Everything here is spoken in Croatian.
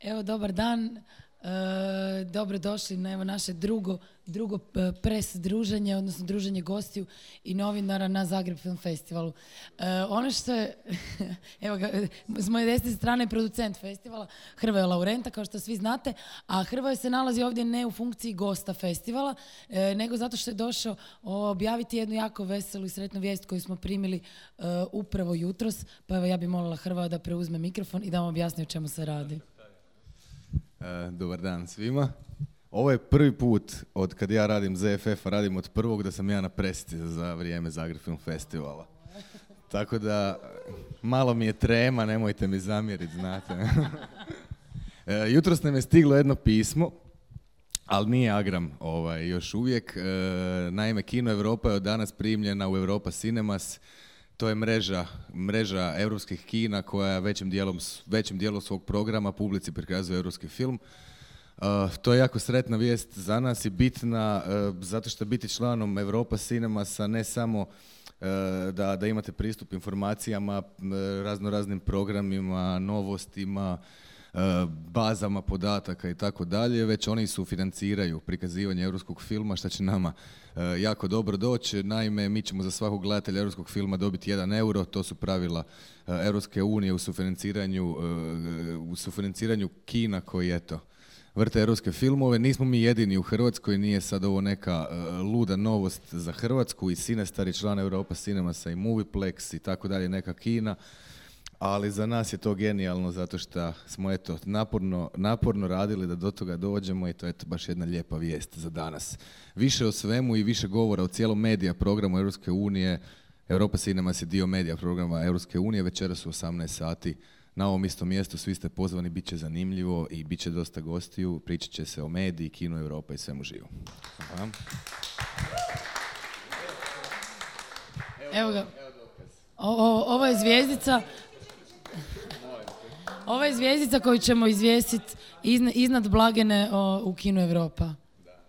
Evo, dobar dan. Dobrodošli na evo naše drugo pres druženje, odnosno druženje gostiju i novinara na Zagreb Film Festivalu. Ono što je, evo ga, s moje desne strane je producent festivala, Hrvoje Laurenta, kao što svi znate, a Hrvoje se nalazi ovdje ne u funkciji gosta festivala, nego zato što je došao objaviti jednu jako veselu i sretnu vijest koju smo primili upravo jutros, pa evo ja bih molila Hrvoja da preuzme mikrofon i da vam objasni o čemu se radi. Dobar dan svima. Ovo je prvi put od kad ja radim ZFF, radim od prvog da sam ja na presici za vrijeme Zagreb Film Festivala. Tako da malo mi je trema, nemojte mi zamjeriti, znate. Jutros nam je stiglo jedno pismo, ali nije Agram još uvijek. Naime, Kino Europa je od danas primljena u Europa Cinemas. To je mreža europskih kina koja većim dijelom svog programa publici prikazuje europski film. To je jako sretna vijest za nas i bitna zato što biti članom Europa Cinemasa ne samo da imate pristup informacijama, raznoraznim programima, novostima, bazama podataka i tako dalje, već oni sufinanciraju prikazivanje europskog filma, što će nama jako dobro doći. Naime, mi ćemo za svakog gledatelja europskog filma dobiti 1 euro, to su pravila Europske unije u sufinanciranju kina koji, eto, vrte europske filmove. Nismo mi jedini u Hrvatskoj, nije sad ovo neka luda novost za Hrvatsku, i Cinestar je član Europa Cinemasa i Moviplex i tako dalje, neka kina. Ali za nas je to genijalno zato što smo naporno radili da do toga dođemo i to je baš jedna lijepa vijest za danas. Više o svemu i više govora o cijelom medija programu Europske unije. Europa Cinemas je dio medija programa Europske unije, večeras u 18 sati na ovom istom mjestu. Svi ste pozvani, bit će zanimljivo i bit će dosta gostiju. Pričat će se o mediji, Kino Europa i svemu živo. Aha. Evo ga. Ovo je zvjezdica. Ovo je zvjezdica koju ćemo izvjesiti iznad blagene u Kino Europa. Da.